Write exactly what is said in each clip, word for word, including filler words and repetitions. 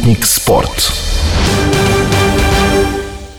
Sputnik Sport.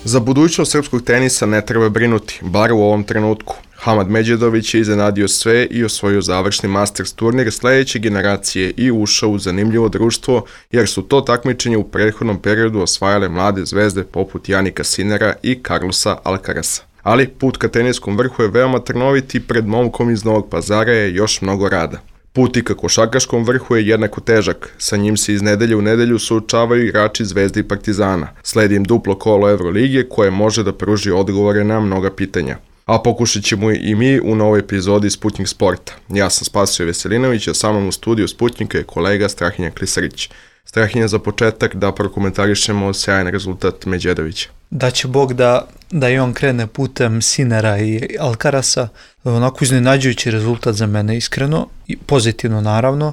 Za budućnost srpskog tenisa ne treba brinuti, bar u ovom trenutku. Hamad Medjedović je iznenadio sve i osvojio završni Masters turnir sledeće generacije i ušao u zanimljivo društvo, jer su to takmičenje u prethodnom periodu osvajale mlade zvezde poput Janika Sinera i Carlosa Alcarasa. Ali put ka teniskom vrhu je veoma trnovit i pred momkom iz Novog Pazara je još mnogo rada. Put i ka košarkaškom vrhu je jednako težak, sa njim se iz nedelje u nedelju suočavaju igrači Zvezde i Partizana. Sledi im duplo kolo Evrolige koje može da pruži odgovore na mnoga pitanja. A pokušat ćemo i mi u novoj epizodi Sputnik Sporta. Ja sam Spasio Veselinović, a sa mnom u studiju Sputnika je kolega Strahinja Klisarić. Strahinja, za početak da prokomentarišemo sjajan rezultat Medjedovića. Da će Bog da, da i on krene putem Sinera i Alcarasa. Onako iznenađujući rezultat za mene, iskreno, i pozitivno naravno.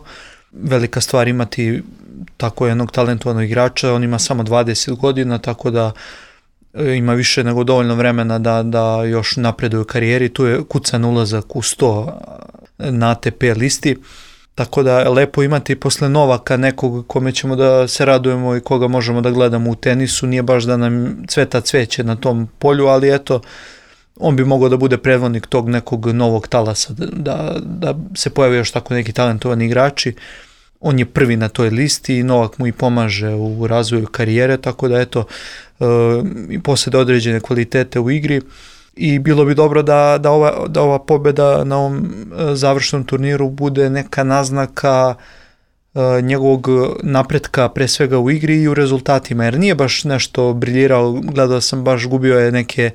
Velika stvar imati tako jednog talentovanog igrača, on ima samo dvadeset godina, tako da ima više nego dovoljno vremena da, da još napreduje u karijeri. Tu je kucan ulazak u sto na A T P listi. Tako da je lepo imati posle Novaka nekog kome ćemo da se radujemo i koga možemo da gledamo u tenisu. Nije baš da nam cveta cveće na tom polju, ali eto, on bi mogao da bude predvodnik tog nekog novog talasa, da, da se pojave još tako neki talentovani igrači. On je prvi na toj listi i Novak mu i pomaže u razvoju karijere, tako da eto, i posljede određene kvalitete u igri. I bilo bi dobro da, da, ova, da ova pobjeda na ovom završnom turniru bude neka naznaka uh, njegovog napretka pre svega u igri i u rezultatima, jer nije baš nešto briljirao, gledao sam, baš gubio je neke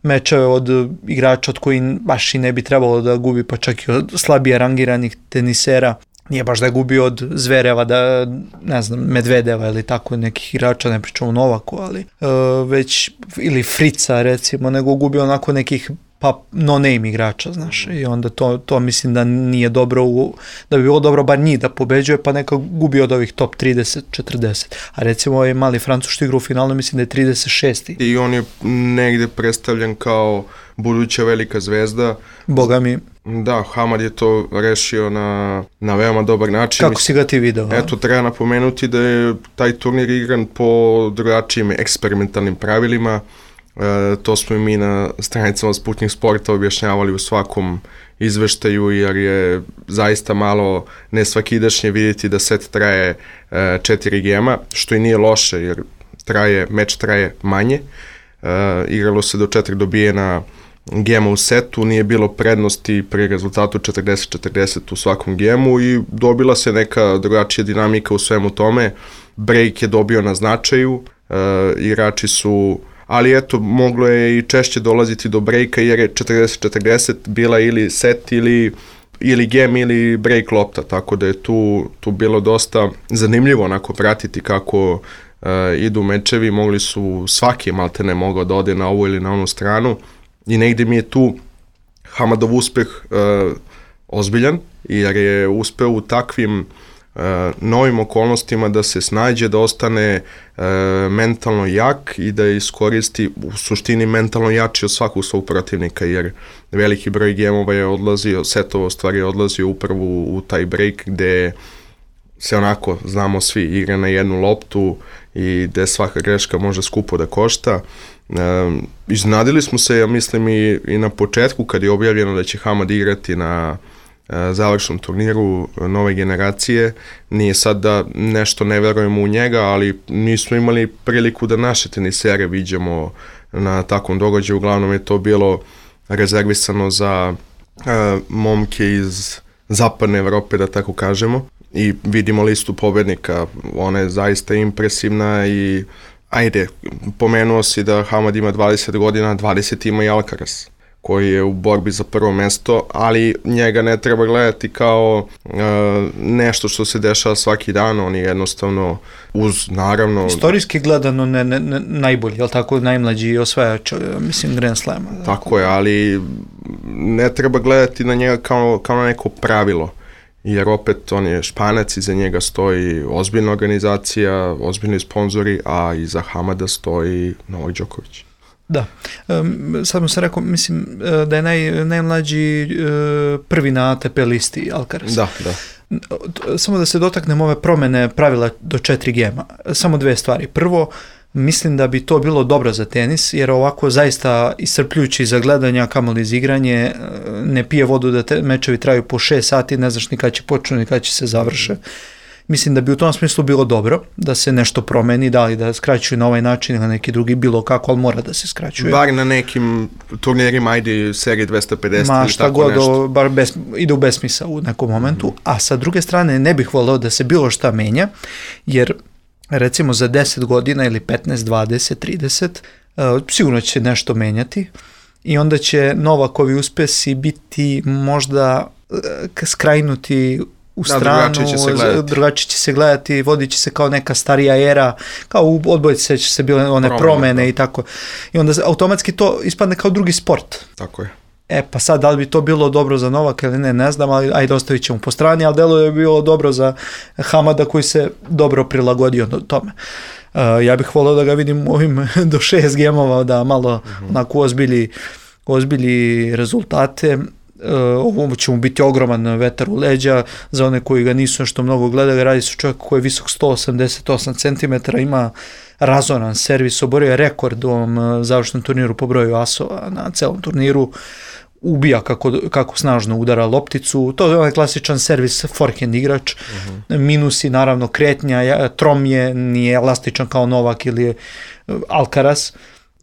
mečeve od igrača od koji baš i ne bi trebalo da gubi, pa čak i od slabije rangiranih tenisera. Nije baš da je gubio od Zvereva, da, ne znam, Medvedeva ili tako nekih igrača, ne pričamo o Novaku, ali uh, već, ili Frica recimo, nego gubio onako nekih pa no-name igrača, znaš, i onda to, to mislim da nije dobro, u, da bi bilo dobro bar njih da pobeđuje, pa neka gubi od ovih top trideset četrdeset, a recimo ovaj mali Francuz što igra u finalu, mislim da je trideset šest. I on je negde predstavljen kao buduća velika zvezda. Boga mi. Da, Hamad je to rešio na, na veoma dobar način. Kako si ga ti video? Eto, treba napomenuti da je taj turnir igran po drugačijim eksperimentalnim pravilima. E, to smo i mi na stranicama Sputnik Sporta objašnjavali u svakom izveštaju, jer je zaista malo nesvakidašnje vidjeti da set traje e, četiri gema, što i nije loše, jer traje, meč traje manje. E, igralo se do četiri dobijena gema u setu, nije bilo prednosti pri rezultatu četrdeset četrdeset u svakom gemu i dobila se neka drugačija dinamika u svemu tome. Break je dobio na značaju, e, igrači su, ali eto, moglo je i češće dolaziti do breaka, jer je četrdeset četrdeset bila ili set ili, ili gem ili break lopta, tako da je tu, tu bilo dosta zanimljivo onako pratiti kako e, idu mečevi. Mogli su, svaki maltene mogao da ode na ovu ili na onu stranu. I negde mi je tu Hamadov uspeh e, ozbiljan, jer je uspeo u takvim e, novim okolnostima da se snađe, da ostane e, mentalno jak i da iskoristi, u suštini mentalno jači od svakog svog protivnika, jer veliki broj gemova je odlazio, setova stvari je odlazio upravo u, u taj break gde se onako, znamo svi, igra na jednu loptu i gde svaka greška može skupo da košta. E, iznadili smo se, ja mislim, i, i na početku kad je objavljeno da će Hamad igrati na e, završnom turniru nove generacije. Nije sad da nešto ne verujemo u njega, ali nismo imali priliku da naše tenisere viđamo na takvom događaju. Uglavnom je to bilo rezervisano za e, momke iz zapadne Evrope, da tako kažemo, i vidimo listu pobednika. Ona je zaista impresivna i ajde, pomenuo si da Hamad ima dvadeset godina, dvadeset ima i Alcaraz, koji je u borbi za prvo mesto, ali njega ne treba gledati kao uh, nešto što se dešava svaki dan. On je jednostavno uz, naravno... Istorijski gledano ne, ne, ne, najbolji, jel tako, najmlađi osvajač, mislim, Grand Slama. Tako je, ali ne treba gledati na njega kao, kao na neko pravilo, jer opet on je Španac, iza njega stoji ozbiljna organizacija, ozbiljni sponzori, a iza Hamada stoji Novak Đoković. Da. Um, sad mu se rekao, mislim da je naj, najmlađi uh, prvi na A T P listi Alcaraz. Da, da. Samo da se dotaknemo ove promjene pravila do četiri gema. Samo dve stvari. Prvo, mislim da bi to bilo dobro za tenis, jer ovako zaista iscrpljujući za gledanja, kamoli za igranje, ne pije vodu da te mečevi traju po šest sati, ne znaš ni kada će počnu, ni kada će se završe. Mislim da bi u tom smislu bilo dobro da se nešto promeni, da li da skraćuju na ovaj način ili na neki drugi, bilo kako, ali mora da se skraćuje. Bar na nekim turnirima, ajde seriji dvesta pedeset Ma, ili šta tako god, nešto. Bar bez, ide u besmisao u nekom momentu, mm-hmm. a sa druge strane ne bih voleo da se bilo šta menja, jer recimo za deset godina ili petnaest, dvadeset, trideset, uh, sigurno će nešto menjati i onda će Novakovi uspesi biti možda uh, skrajnuti u stranu, da, drugačije će se gledati, drugačije će se gledati, vodit će se kao neka starija era, kao u odbojci će se bile one promene, promene i tako. I onda automatski to ispadne kao drugi sport. Tako je. E pa sad, da li bi to bilo dobro za Novaka ili ne, ne znam, ali ajde ostavit ćemo po strani, ali delo je bilo dobro za Hamada koji se dobro prilagodio tome. Uh, ja bih volio da ga vidim ovim do šest gemova, da malo uh-huh. onako ozbilji, ozbilji rezultate. Uh, ovo će mu biti ogroman vetar u leđa, za one koji ga nisu nešto mnogo gledali, radi se čovjek koji je visok sto osamdeset osam centimetara, ima razoran servis, oborio je rekord u ovom završnom turniru po broju asova na celom turniru, ubija kako, kako snažno udara lopticu, to je onaj klasičan servis forehand igrač, uh-huh. minusi naravno kretnja, trom je, nije elastičan kao Novak ili Alcaraz.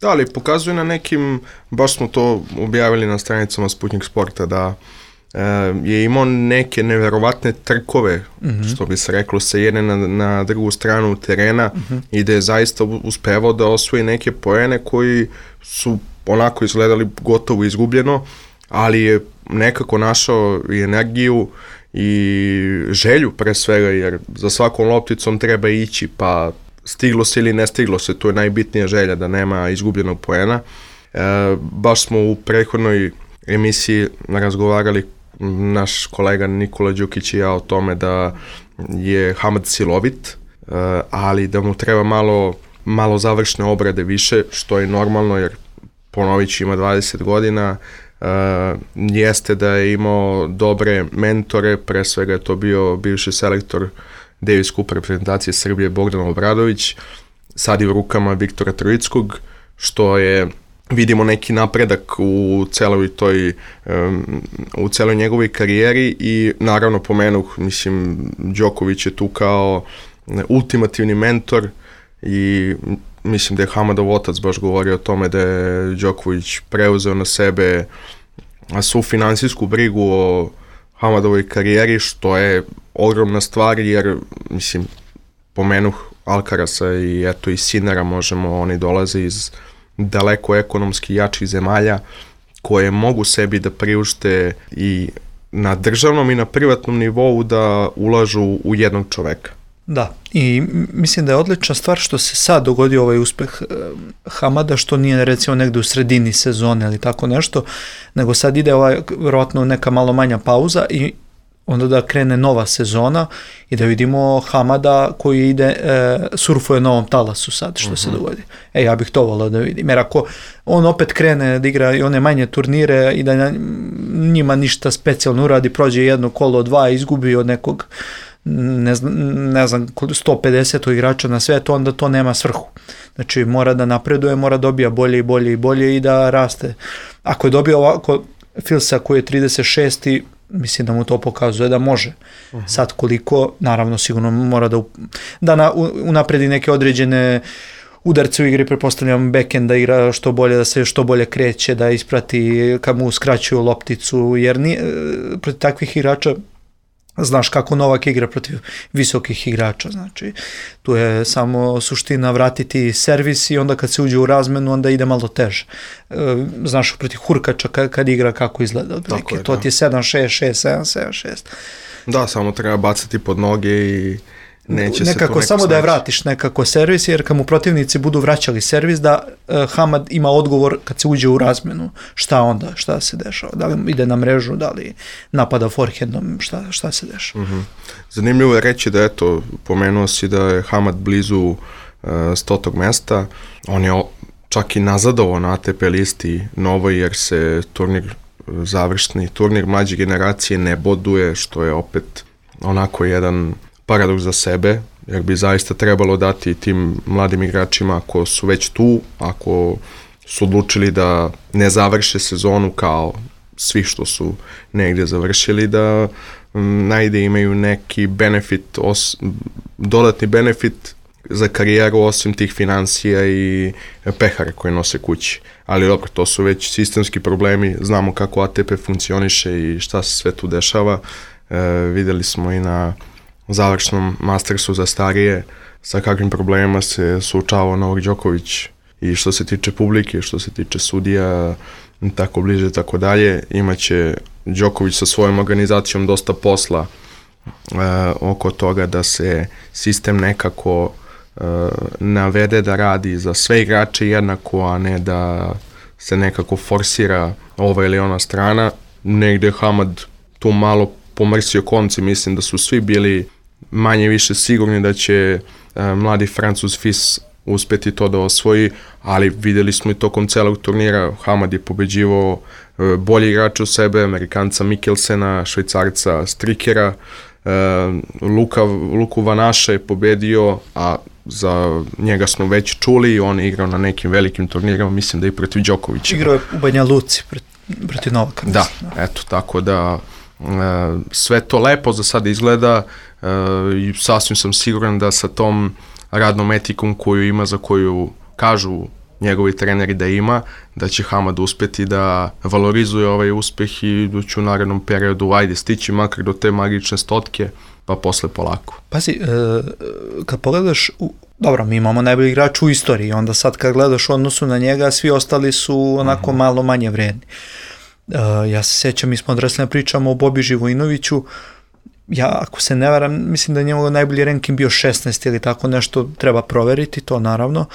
Da, ali pokazuje na nekim, baš smo to objavili na stranicama Sputnik Sporta, da e, je imao neke neverovatne trkove, mm-hmm. što bi se reklo, sa jedne na, na drugu stranu terena mm-hmm. i da je zaista uspevao da osvoji neke poene koji su onako izgledali gotovo izgubljeno, ali je nekako našao i energiju i želju pre svega, jer za svakom lopticom treba ići, pa stiglo se ili ne stiglo se, to je najbitnija želja, da nema izgubljenog poena. E, baš smo u prethodnoj emisiji razgovarali, naš kolega Nikola Đukić i ja, o tome da je Hamad silovit, e, ali da mu treba malo, malo završne obrade više, što je normalno, jer Ponović ima dvadeset godina, e, jeste da je imao dobre mentore, pre svega je to bio bivši selektor Davis Cup reprezentacije Srbije Bogdan Obradović, sad je u rukama Viktora Trojickog, što je, vidimo neki napredak u celoj toj, um, u celoj njegovoj karijeri i naravno pomenuh, mislim, Đoković je tu kao ultimativni mentor i mislim da je Hamadov otac baš govorio o tome da je Đoković preuzeo na sebe svu finansijsku brigu o Hamadovoj karijeri, što je ogromna stvar, jer, mislim, pomenuh Alcarasa i eto i Sinera, možemo, oni dolaze iz daleko ekonomski jačih zemalja koje mogu sebi da priušte i na državnom i na privatnom nivou da ulažu u jednog čoveka. Da, i mislim da je odlična stvar što se sad dogodio ovaj uspeh Hamada, što nije recimo negde u sredini sezone ili tako nešto, nego sad ide ovaj, vjerojatno neka malo manja pauza i onda da krene nova sezona i da vidimo Hamada koji ide, e, surfuje na ovom talasu sad, što uh-huh. se dogodi. E, ja bih to volao da vidim, jer ako on opet krene da igra i one manje turnire i da njima ništa specijalno uradi, prođe jedno kolo, dva, izgubi od nekog ne znam, ne znam sto pedeset igrača na svetu, onda to nema svrhu. Znači mora da napreduje, mora dobija bolje i bolje i bolje i da raste. Ako je dobio ovako Filsa koji je trideset šest, mislim da mu to pokazuje da može. Uh-huh. Sad koliko, naravno sigurno mora da, da na, unapredi neke određene udarce u igri, prepostavljam backhand da igra što bolje, da se što bolje kreće, da isprati kad mu uskraćuju lopticu, jer nije, protiv takvih igrača znaš kako Novak igra protiv visokih igrača, znači tu je samo suština vratiti servis i onda kad se uđe u razmenu onda ide malo teže. E, znaš protiv Hurkača kad, kad igra kako izgleda odbrilike, to da. Ti je sedam šest šest sedam sedam šest. Da, samo treba bacati pod noge i neće nekako, se to neko samo snaći. Da je vratiš nekako servis, jer kad mu protivnici budu vraćali servis, da uh, Hamad ima odgovor kad se uđe u razmenu, šta onda, šta se dešava, da li ide na mrežu, da li napada forehandom, šta, šta se dešava. Uh-huh. Zanimljivo je reći da, eto, pomenuo si da je Hamad blizu uh, stotog mesta, on je čak i nazadovo na A T P listi novoj, jer se turnir, završni turnir mlađe generacije ne boduje, što je opet onako jedan paradoks za sebe, jer bi zaista trebalo dati tim mladim igračima ako su već tu, ako su odlučili da ne završe sezonu kao svi što su negdje završili, da m, najde imaju neki benefit, os, dodatni benefit za karijeru osim tih financija i pehara koje nose kući. Ali dobro, to su već sistemski problemi, znamo kako A T P funkcioniše i šta se sve tu dešava. E, videli smo i na završnom Mastersu za starije sa kakvim problemima se suočavao Novak Đoković i što se tiče publike, što se tiče sudija, tako bliže, tako dalje. Imaće Đoković sa svojom organizacijom dosta posla e, oko toga da se sistem nekako e, navede da radi za sve igrače jednako, a ne da se nekako forsira ova ili ona strana. Negde Hamad tu malo pomrsio konci, mislim da su svi bili manje više sigurni da će e, mladi Francuz Fils uspeti to da osvoji, ali videli smo i tokom celog turnira, Hamad je pobeđivao e, bolji igrače u sebe, Amerikanca Mikkelsena, Švajcarca Strikera, e, Luka, Luku Vanaša je pobedio, a za njega smo već čuli, on je igrao na nekim velikim turnirima, mislim da i protiv Đokovića. Igrao je u Banja Luci protiv Novaka. Da, eto, tako da e, sve to lepo za sad izgleda e, i sasvim sam siguran da sa tom radnom etikom koju ima, za koju kažu njegovi treneri da ima, da će Hamad uspeti da valorizuje ovaj uspeh i da će u narednom periodu ajde stići makar do te magične stotke, pa posle polako. Pazi, e, kad pogledaš, u, dobro, mi imamo najbolji igrač u istoriji, onda sad kad gledaš u odnosu na njega, svi ostali su onako uh-huh. malo manje vredni. E, ja se sjećam, mi smo odrasli pričamo o Bobi Živojinoviću, ja, ako se ne varam, mislim da je njegov najbolji ranking bio šesnaest ili tako nešto, treba proveriti to naravno.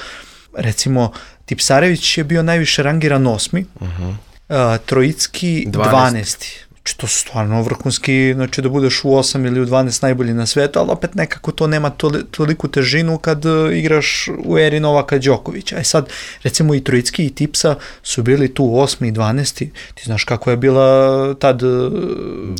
Recimo, Tipsarević je bio najviše rangiran osmi, uh-huh. uh, Trojicki dvanaesti. Znači, to su stvarno vrhunski, znači da budeš u osam ili u dvanaest najbolji na svetu, ali opet nekako to nema toli, toliku težinu kad uh, igraš u eri Novaka Đokovića. E sad, recimo i Trojicki i Tipsa su bili tu u osmi i dvanaesti. Ti znaš kako je bila tad uh,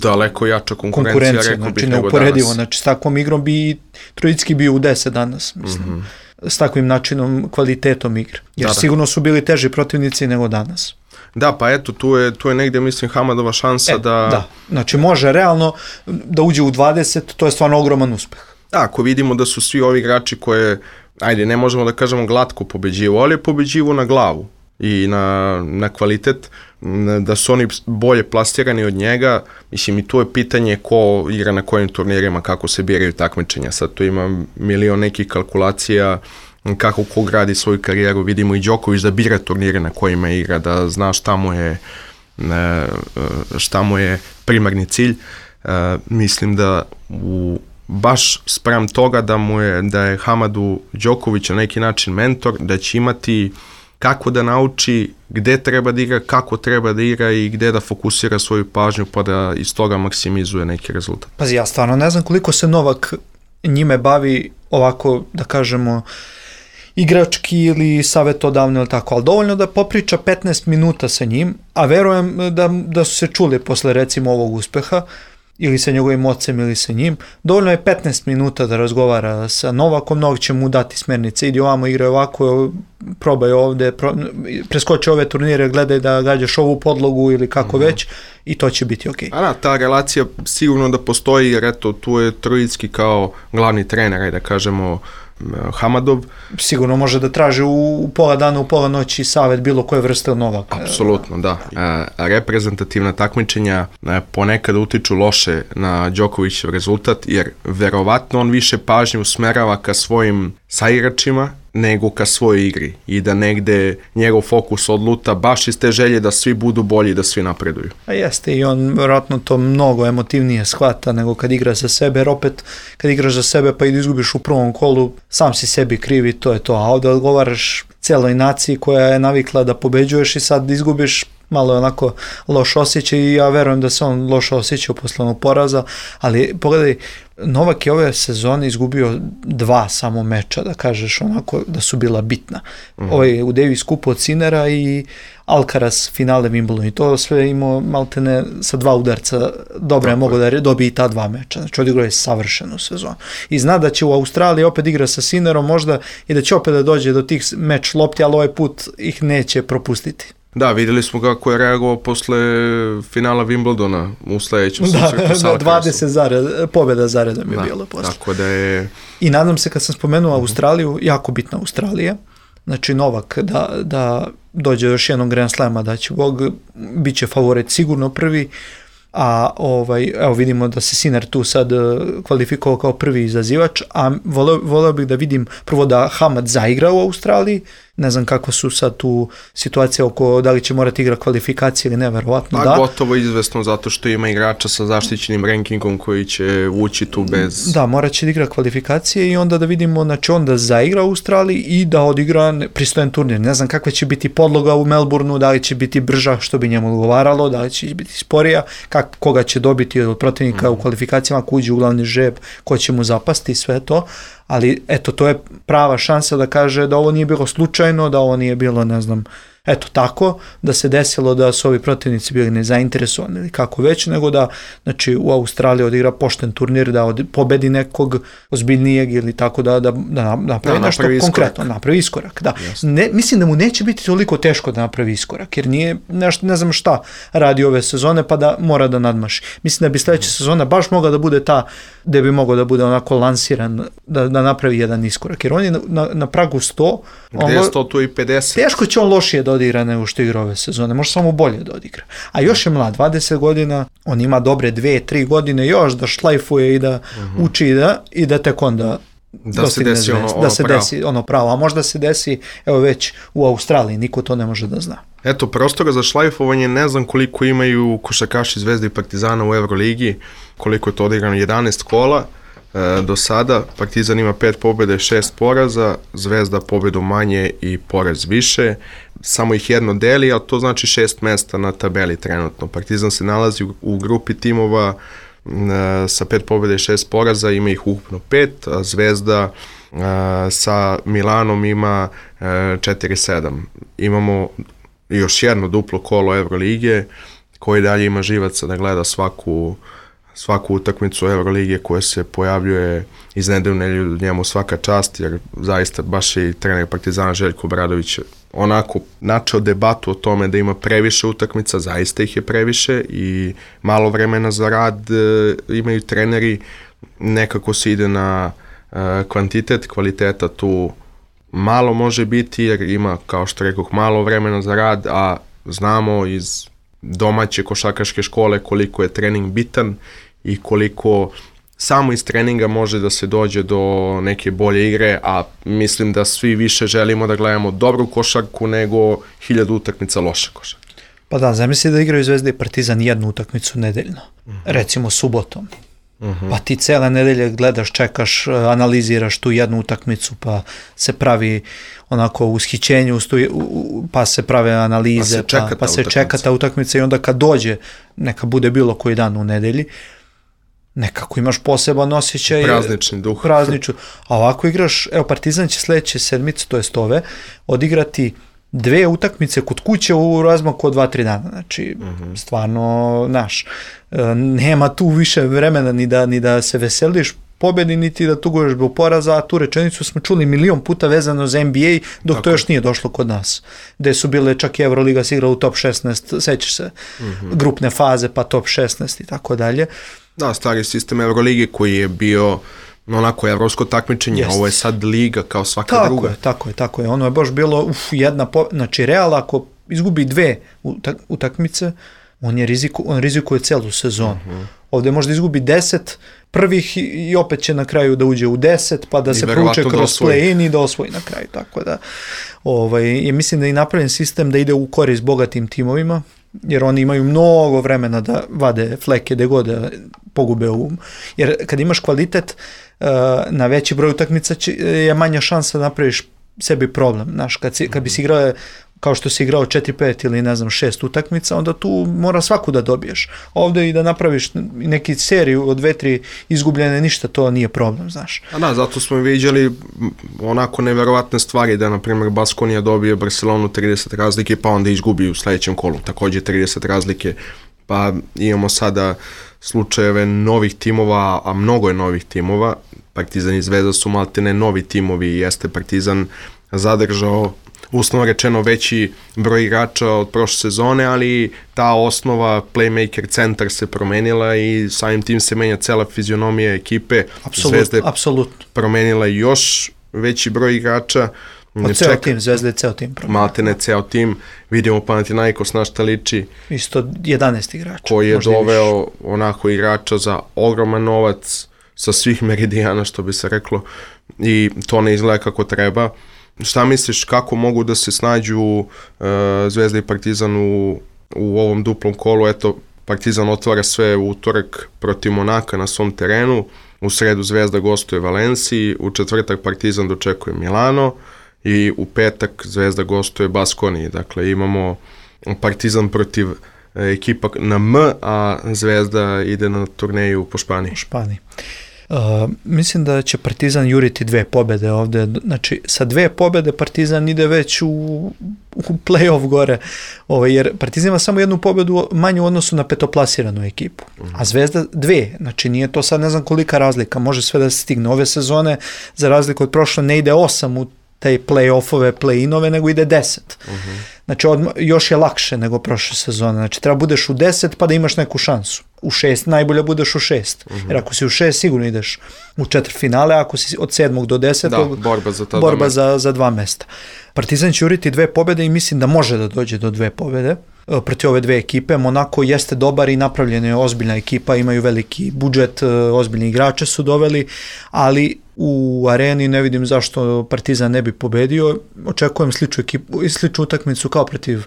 daleko jača konkurencija, konkurencija rekao znači, bih nego neuporedivo. danas. Znači, s takvom igrom bi Trojicki bio u deset danas, mislim. Mm-hmm. S takvim načinom, kvalitetom igre. Jer da, da. sigurno su bili teži protivnici nego danas. Da, pa eto, tu je, tu je negdje, mislim, Hamadova šansa e, da... Da, znači može realno da uđe u dvadeset, to je stvarno ogroman uspeh. Da, ako vidimo da su svi ovi igrači koje, ajde, ne možemo da kažemo glatko pobeđivo, ali pobeđivo na glavu i na, na kvalitet, da su oni bolje plastirani od njega, mislim, i tu je pitanje ko igra na kojim turnirima, kako se biraju takmičenja, sad tu ima milion nekih kalkulacija, kako ko gradi svoju karijeru, vidimo i Đoković da bira turnire na kojima igra, da zna šta mu je, šta mu je primarni cilj. Mislim da u, baš spram toga da, mu je, da je Hamadu Đoković na neki način mentor, da će imati kako da nauči gde treba da igra, kako treba da igra i gde da fokusira svoju pažnju pa da iz toga maksimizuje neki rezultat. Pazi, ja stvarno ne znam koliko se Novak njime bavi ovako, da kažemo, igrački ili savjetodavno ili tako, ali dovoljno da popriča petnaest minuta sa njim, a verujem da, da su se čuli posle recimo ovog uspeha, ili sa njegovim ocem ili sa njim, dovoljno je petnaest minuta da razgovara sa Novakom, Novak će mu dati smjernice, idi ovamo, igraj ovako, probaj ovde, pro, preskoči ove turnire, gledaj da gađaš ovu podlogu ili kako mm-hmm. već, i to će biti okej. Okay. A da, ta relacija sigurno da postoji, jer eto, tu je Trojicki kao glavni trener, ajde da kažemo, Hamadov. Sigurno može da traži u, u pola dana, u pola noći savjet bilo koje vrste od Novaka. Apsolutno, da. E, reprezentativna takmičenja e, ponekad utiču loše na Đokovićev rezultat, jer verovatno on više pažnje usmerava ka svojim saigračima nego ka svojoj igri i da negde njegov fokus odluta baš iz te želje da svi budu bolji, da svi napreduju. A jeste, i on vjerojatno to mnogo emotivnije shvata nego kad igra za sebe, jer opet kad igraš za sebe pa i da izgubiš u prvom kolu, sam si sebi krivi, to je to, a ovdje odgovaraš cijeloj naciji koja je navikla da pobeđuješ i sad izgubiš, malo je onako loš osjećaj i ja verujem da se on loše osjećao posle onog poraza, ali pogledaj, Novak je ove sezone izgubio dva samo meča, da kažeš onako da su bila bitna. Mm-hmm. Ovaj u Davis Cupu od Sinera i Alcaraz finale Wimbledon i to sve imao maltene sa dva udarca, dobro je mogo da dobije i ta dva meča, znači odigrao je savršenu sezonu. I zna da će u Australiji opet igra sa Sinerom možda i da će opet da dođe do tih meč lopti, ali ovaj put ih neće propustiti. Da, vidjeli smo kako je reagovao posle finala Wimbledona u sledećem susretu sa Alcarazom. dvadeset zared, pobjeda zaredom je da, bilo posle. Tako da je... I nadam se kad sam spomenuo Australiju, jako bitna Australija, znači Novak da, da dođe još jednog Grand Slama, da će Bog, bit će favorit sigurno prvi, a ovaj, evo vidimo da se Sinner tu sad kvalifikovao kao prvi izazivač, a voleo, voleo bih da vidim prvo da Hamad zaigra u Australiji, ne znam kakva su sad tu situacija oko da li će morati igra kvalifikacije ili ne, verovatno da. Pa gotovo izvesno zato što ima igrača sa zaštićenim rankingom koji će ući tu bez... Da, morat će da igra kvalifikacije i onda da vidimo, znači on da zaigra u Australiji i da odigra pristojan turnir. Ne znam kakva će biti podloga u Melbourneu, da li će biti brža što bi njemu odgovaralo, da li će biti sporija, kak, koga će dobiti od protivnika mm. u kvalifikacijama, ako uđe u glavni žreb, ko će mu zapasti, sve to. Ali eto, to je prava šansa da kaže da ovo nije bilo slučajno, da ovo nije bilo, ne znam, eto tako, da se desilo da su ovi protivnici bili nezainteresovani ili kako već, nego da, znači, u Australiji odigra pošten turnir, da od, pobedi nekog ozbiljnijeg ili tako da, da, da napravi da, nešto konkretno, napravi iskorak. Da. Ne, mislim da mu neće biti toliko teško da napravi iskorak, jer nije, nešto, ne znam šta radi ove sezone, pa da mora da nadmaši. Mislim da bi sledeća sezona baš mogla da bude ta, gde bi mogao da bude onako lansiran, da, da napravi jedan iskorak, jer on je na, na, na pragu sto. Gde je sto, tu i pedeset. Teško će on lošije da odigra nego što igra ove sezone, može samo bolje da odigra. A još je mlad, dvadeset godina, on ima dobre dve, tri godine još da šlajfuje i da uh-huh. uči i da, i da tek onda da se desi ono, ono da se pravo. desi ono pravo, a možda se desi evo već u Australiji, niko to ne može da zna. Eto, prostora za šlajfovanje ne znam koliko imaju košarkaši Zvezde i Partizana u Euroligi, koliko je to odigrano, jedanaest kola. Do sada Partizan ima pet pobjede, šest poraza, Zvezda pobjedu manje i poraz više, samo ih jedno deli, a to znači šest mesta na tabeli trenutno. Partizan se nalazi u, u grupi timova uh, sa pet pobjede i šest poraza, ima ih ukupno pet, a Zvezda uh, sa Milanom ima uh, četiri sedam. Imamo još jedno duplo kolo Evrolige, koji dalje ima živaca da gleda svaku svaku utakmicu Evrolige koja se pojavljuje iz nedelje u nedelju, njemu svaka čast, jer zaista baš i trener Partizana Željko Obradović onako načeo debatu o tome da ima previše utakmica, zaista ih je previše i malo vremena za rad e, imaju treneri, nekako se ide na e, kvantitet, kvaliteta tu malo može biti jer ima, kao što rekoh, malo vremena za rad, a znamo iz domaće košarkaške škole koliko je trening bitan i koliko samo iz treninga može da se dođe do neke bolje igre, a mislim da svi više želimo da gledamo dobru košarku nego hiljadu utakmica loše košarke. Pa da, zamisli da igraju Zvezda i Partizan jednu utakmicu nedeljno, uh-huh. recimo subotom. Uh-huh. Pa ti cele nedelje gledaš, čekaš, analiziraš tu jednu utakmicu, pa se pravi onako ushićenje, pa se prave analize, pa se čeka, pa, pa se čeka ta utakmica i onda kad dođe, neka bude bilo koji dan u nedelji, nekako imaš poseban osjećaj. Praznični duh. Prazniču. A ovako igraš, evo Partizan će sledeće sedmice, to jest ove, odigrati dve utakmice kod kuće u razmaku od dva tri dana. Znači, uh-huh. stvarno, naš, nema tu više vremena ni da, ni da se veseliš pobedi, niti da tuguješ zbog poraza, a tu rečenicu smo čuli milion puta vezano za N B A, dok Tako. to još nije došlo kod nas. Gde su bile, čak i Euroliga se igrala u top šesnaest, sećaš se, uh-huh. grupne faze, pa top šesnaest i tako dalje. Da, stari sistem Eurolige koji je bio onako evropsko takmičenje, Jest. ovo je sad liga kao svaka tako druga. Je, tako je, tako je. Ono je baš bilo uf, jedna, po... znači Real ako izgubi dve utak- utakmice, on je riziku, on rizikuje celu sezonu. Uh-huh. Ovdje možda izgubi deset prvih i opet će na kraju da uđe u deset, pa da I se prouče kroz play-in i da osvoji na kraju. Tako da, ovaj, je, mislim da je napravljen sistem da ide u korist bogatim timovima, jer oni imaju mnogo vremena da vade fleke gde god da pogube um. Jer kad imaš kvalitet, na veći broj utakmica je manja šansa da napraviš sebi problem. Znaš, kad, si, kad bi si igrao kao što si igrao četiri pet ili ne znam šest utakmica, onda tu mora svaku da dobiješ. Ovdje i da napraviš neki seriju od dve, tri izgubljene, ništa to nije problem, znaš. A da, zato smo vidjeli onako neverovatne stvari da, na primjer, Baskonija dobije Barcelonu trideset razlike, pa onda izgubi u sljedećem kolu, također trideset razlike, pa imamo sada slučajeve novih timova, a mnogo je novih timova. Partizan i Zvezda su maltene novi timovi i jeste Partizan zadržao uslovno rečeno veći broj igrača od prošle sezone, ali ta osnova playmaker centar se promenila i samim tim se menja cela fizionomija ekipe. Apsolutno, apsolutno. Promenila još veći broj igrača. Od ceo tim, Zvezda je ceo tim promenila. Maltene ceo tim. Vidimo Panathinaikos na šta liči. Isto jedanaest igrača. Koji je doveo onako igrača za ogroman novac sa svih meridijana, što bi se reklo, i to ne izgleda kako treba. Šta misliš, kako mogu da se snađu uh, Zvezda i Partizan u, u ovom duplom kolu? Eto, Partizan otvara sve u utorak protiv Monaka na svom terenu, u sredu Zvezda gostuje Valenciji, u četvrtak Partizan dočekuje Milano i u petak Zvezda gostuje Baskoniji. Dakle, imamo Partizan protiv ekipa na M, a Zvezda ide na turneju po Španiji. Po Španiji. Uh, mislim da će Partizan juriti dve pobjede ovdje, znači sa dve pobjede Partizan ide već u, u play-off gore, ovaj, jer Partizan ima samo jednu pobjedu manju u odnosu na petoplasiranu ekipu, a Zvezda dve, znači nije to sad ne znam kolika razlika, može sve da se stigne. Ove sezone, za razliku od prošle, ne ide osam u te play-offove, play-inove, nego ide deset. Uh-huh. Znači, odma, još je lakše nego prošle sezone. Znači, treba budeš u deset pa da imaš neku šansu. U šest najbolje budeš u šest. Uh-huh. Jer ako si u šest, sigurno ideš u četvrtfinale, ako si od sedmog do desetog, da, borba, za, ta borba dva za, za dva mesta. Partizan će uriti dve pobjede i mislim da može da dođe do dve pobjede protiv ove dve ekipe. Monako jeste dobar i napravljena je ozbiljna ekipa, imaju veliki budžet, ozbiljni igrače su doveli, ali u areni ne vidim zašto Partizan ne bi pobedio. Očekujem sličnu ekipu, sličnu utakmicu kao protiv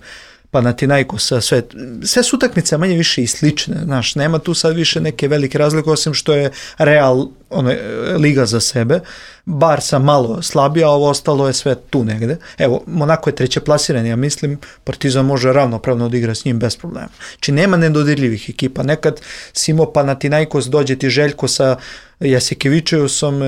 Panathinaikosa, sve, sve su utakmice manje više i slične, znaš, nema tu sad više neke velike razlike, osim što je Real ono, liga za sebe, Barca malo slabija, a ovo ostalo je sve tu negde. Evo, Monako je treće plasiran, ja mislim, Partizan može ravnopravno odigra s njim bez problema. Či nema nedodirljivih ekipa, nekad si imao Panathinaikos, dođe ti Željko sa Jasikevičeusom,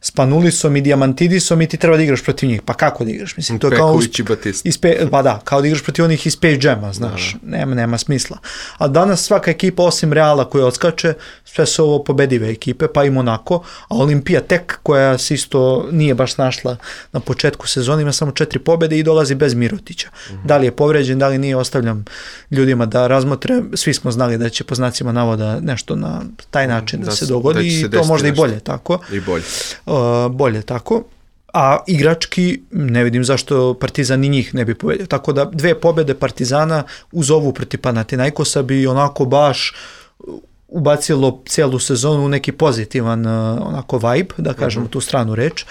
Spanulisom i Diamantidisom i ti treba da igraš protiv njih. Pa kako da igraš? Mislim, to je kao Peković i Batista. Ispe, pa da, kao da igraš protiv onih iz Space Jama, znaš, da, da. Nema, nema smisla. A danas svaka ekipa, osim Reala koja odskače, sve su ovo pobedive ekipe, pa i Monako, a Olimpija tek, koja se isto nije baš našla na početku sezona, ima samo četiri pobjede i dolazi bez Mirotića. Mm-hmm. Da li je povređen, da li nije, ostavljam ljudima da razmotre. Svi smo znali da će po znacima navoda nešto na taj način da, da se dogodi da i to možda nešto. I bolje tako. I bolje. Uh, bolje tako. A igrački ne vidim zašto Partizan ni njih ne bi pobedio. Tako da dve pobjede Partizana uz ovu protiv Panathinaikosa bi onako baš ubacilo cijelu sezonu u neki pozitivan onako vibe, da kažemo uh-huh. tu stranu reč.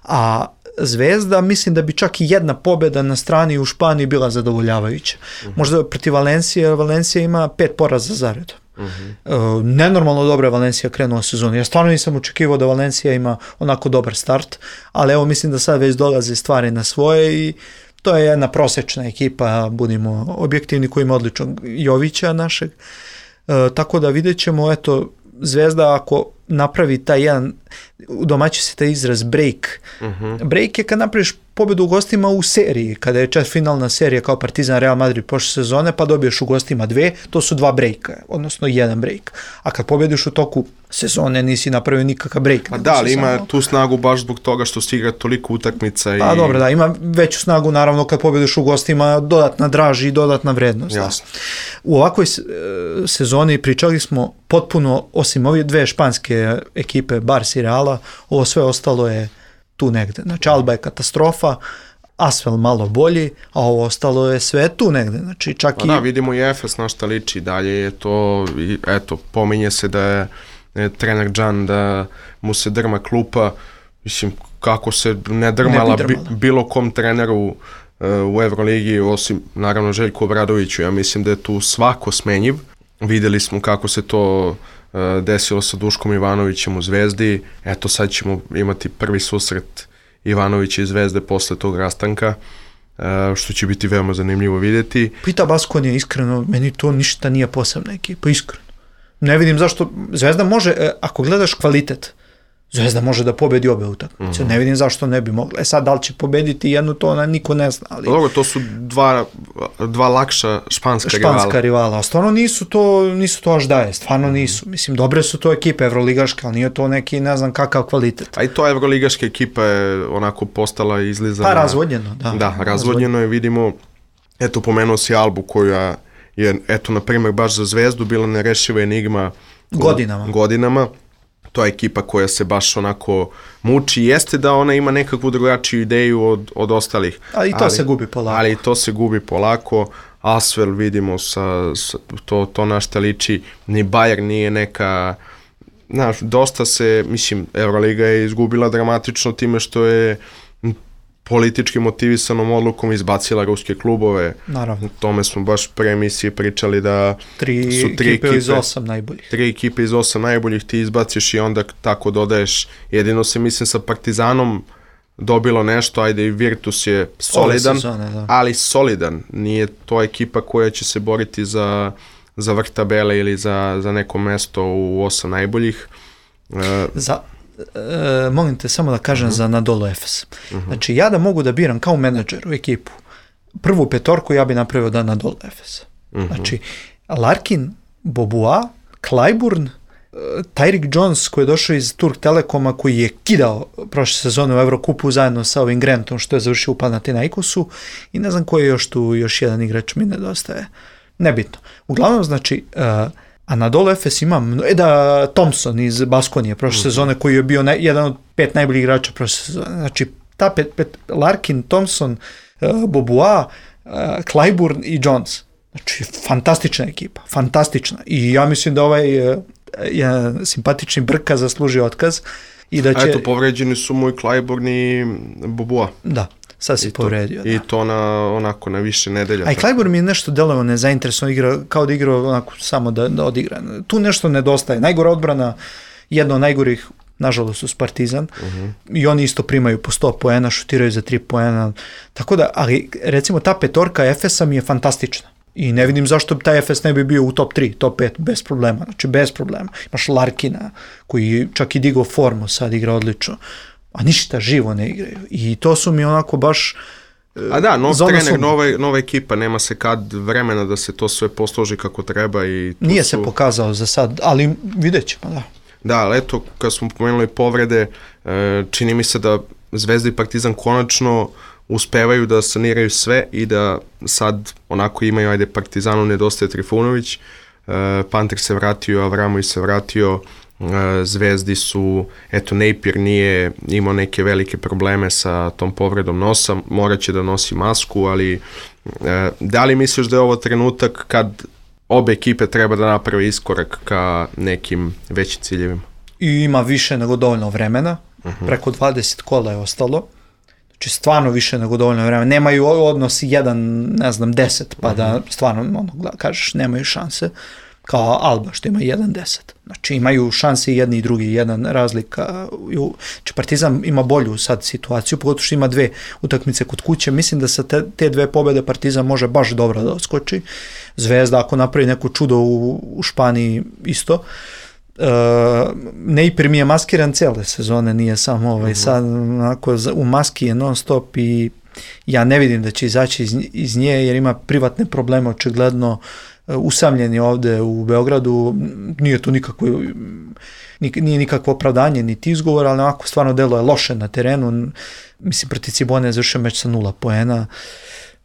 A Zvezda, mislim da bi čak i jedna pobjeda na strani u Španiji bila zadovoljavajuća. Uh-huh. Možda protiv Valencije, Valencija ima pet poraza zaredom. Uh-huh. Uh, nenormalno dobra je Valencija krenula sezonu. Ja stvarno nisam očekivao da Valencija ima onako dobar start, ali evo mislim da sad već dolaze stvari na svoje i to je jedna prosječna ekipa, budimo objektivni, koji ima odličnog Jovića našeg. Uh, tako da vidjet ćemo, eto, Zvezda ako napravi taj jedan, u domaći se taj izraz break. Uh-huh. Break je kad napraviš pobjedu u gostima u seriji, kada je četvrtfinalna serija kao Partizan Real Madrid prošle sezone, pa dobiješ u gostima dve, to su dva breaka, odnosno jedan break. A kad pobjediš u toku sezone, nisi napravio nikakav break. Pa da, ali ima samo tu snagu baš zbog toga što si igra toliko utakmica. Pa i... dobro, da, ima veću snagu, naravno, kad pobjediš u gostima, dodatna draž i dodatna vrednost. Jasno. U ovakvoj sezoni pričali smo potpuno, osim ove dve španske ekipe, Barca i Reala, ovo sve ostalo je tu negde. Znači, Alba je katastrofa, Asvel malo bolji, a ovo ostalo je sve tu negde. Znači, čak pa i... Da, vidimo i Efes na šta liči. Dalje je to, eto, pominje se da je, je trener Džan, da mu se drma klupa. Mislim, kako se ne drmala, ne bi drmala. Bi, bilo kom treneru uh, u Evroligi, osim, naravno, Željku Obradoviću. Ja mislim da je tu svako smenjiv. Videli smo kako se to desilo sa Duškom Ivanovićem u Zvezdi. Eto, sad ćemo imati prvi susret Ivanovića i Zvezde posle tog rastanka. što će biti veoma zanimljivo vidjeti. Pita Baskonija, iskreno, meni to ništa nije posebna ekipa, iskreno. Ne vidim zašto, Zvezda može, ako gledaš kvalitet, Zvezda može da pobedi obe utakmice. Mm-hmm. Ne vidim zašto ne bi mogla. E sad, da li će pobediti jednu, to ona niko ne zna. Ali... Dobro, to su dva, dva lakša španska, španska rivala. Španska rivala. A stvarno nisu to, nisu to až daje. Stvarno mm-hmm. nisu. Mislim, dobre su to ekipe evroligaške, ali nije to neki, ne znam kakav kvalitet. A i to evroligaška ekipa je onako postala izlizana. Pa razvodnjeno, da. Da, razvodnjeno je, vidimo, eto, pomenuo si Albu koja je, eto, na primjer, baš za Zvezdu bila nerešiva enigma godinama. godinama. To je ekipa koja se baš onako muči. Jeste da ona ima nekakvu drugačiju ideju od, od ostalih. Ali i to ali, se gubi polako. Ali to se gubi polako. Asvel vidimo sa, sa to, to na šta liči. Ni Bayern nije neka... Znaš, dosta se, mislim, Euroliga je izgubila dramatično time što je politički motivisanom odlukom izbacila ruske klubove. Naravno. O tome smo baš pre emisije pričali da tri su tri ekipe, ekipe iz osam najboljih. Tri ekipe iz osam najboljih ti izbaciš i onda tako dodaješ. Jedino se, mislim, sa Partizanom dobilo nešto, ajde i Virtus je solidan, sezone, ali solidan. Nije to ekipa koja će se boriti za, za vrh tabele ili za, za neko mesto u osam najboljih. Uh, za E, molim te samo da kažem uh-huh. za Anadolu Efes. Uh-huh. Znači, ja da mogu da biram kao menadžer u ekipu, prvu petorku ja bi napravio da Anadolu Efes. Uh-huh. Znači, Larkin, Bobois, Clyburn, Tyreek Jones koji je došao iz Turk Telekoma, koji je kidao prošle sezone u Evrokupu zajedno sa ovim Grantom što je završio u Panathinaikosu, i ne znam koji je još tu, još jedan igrač mi nedostaje. Nebitno. Uglavnom, znači, uh, Anadolu Efes ima, e da, Thompson iz Baskonije prošle mm-hmm. sezone, koji je bio ne, jedan od pet najboljih igrača prošle sezone. Znači, ta pet, pet, Larkin, Thompson, uh, Bobois, uh, Clyburn i Jones. Znači, fantastična ekipa, fantastična. I ja mislim da ovaj uh, je simpatični Brka zaslužio otkaz. I da će... A eto, povređeni su mu i Clyburn i Bobois. Da. Sad si povredio. I to na, onako, na više nedelja. A i Clyburn mi je nešto delovao nezainteresovan, igra, kao da igra onako samo da, da odigra. Tu nešto nedostaje. Najgora odbrana, jedna od najgorih, nažalost, su Partizan. Uh-huh. I oni isto primaju po sto poena, šutiraju za tri poena. Tako da, ali recimo ta petorka Efesa mi je fantastična. I ne vidim zašto taj Efes ne bi bio u top tri, top pet, bez problema. Znači, bez problema. Imaš Larkina, koji čak i digao formu, sad igra odlično. A ništa živo ne igraju. I to su mi onako baš... A da, nov trener, su... nova, nova ekipa, nema se kad vremena da se to sve posloži kako treba. I Nije su... se pokazao za sad, ali vidjet ćemo, da. Da, ali eto, kad smo pomenuli povrede, čini mi se da Zvezda i Partizan konačno uspevaju da saniraju sve i da sad onako imaju, ajde, Partizanu nedostaje Trifunović, Panter se vratio, Avramović se vratio, Zvezdi su, eto, Napier nije imao neke velike probleme sa tom povredom nosa, morat će da nosi masku, ali da li misliš da je ovo trenutak kad obe ekipe treba da naprave iskorak ka nekim većim ciljevima? I ima više nego dovoljno vremena, uh-huh. preko dvadeset kola je ostalo, znači stvarno više nego dovoljno vremena, nemaju odnos jedan, ne znam, deset, pa uh-huh. da stvarno, ono, kažeš, nemaju šanse, kao Alba što ima jedan deset. Znači imaju šanse i jedni i drugi, jedan razlika. Znači Partizan ima bolju sad situaciju, pogotovo što ima dve utakmice kod kuće. Mislim da sa te, te dve pobjede Partizan može baš dobro da odskoči. Zvezda ako napravi neko čudo u, u Španiji isto. Uh, Napier mi je maskiran cijele sezone, nije samo ovaj, uh-huh. sad onako, u maski je non stop i ja ne vidim da će izaći iz, iz nje jer ima privatne probleme očigledno. Usamljeni ovde u Beogradu, nije to nikakvo, nije nikakvo opravdanje niti izgovor, ali ovako stvarno delo je loše na terenu. Mislim, protiv Cibone je završio meč sa nula poena,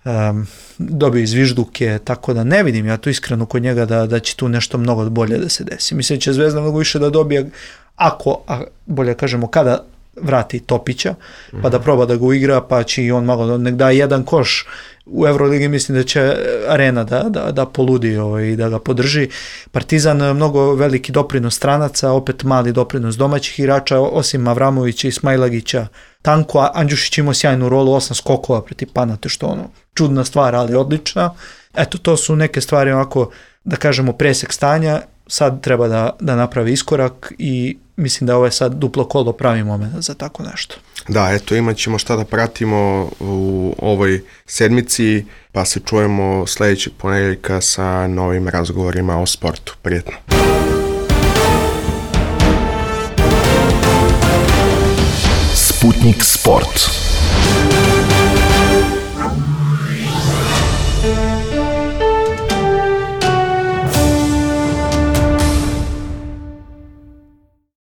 um, dobio izvižduke, tako da ne vidim ja tu iskreno kod njega da, da će tu nešto mnogo bolje da se desi. Mislim, će Zvezda mnogo više da dobije, ako, a bolje kažemo, kada vrati Topića, pa da proba da ga uigra, pa će i on malo nek da jedan koš. U Euroligi mislim da će Arena da, da, da poludi ovaj, i da ga podrži. Partizan mnogo veliki doprinos stranaca, opet mali doprinos domaćih igrača, osim Avramovića i Smailagića. Tanko, Andjušić imao sjajnu rolu, osam skokova protiv Panate, što ono, čudna stvar, ali odlična. Eto, to su neke stvari onako, da kažemo, presek stanja. Sad treba da, da napravi iskorak i mislim da ovo je sad duplo kolo pravi moment za tako nešto. Da, eto, imat ćemo šta da pratimo u ovoj sedmici, pa se čujemo sljedećeg ponedjeljka sa novim razgovorima o sportu. Prijetno. Sputnik Sport.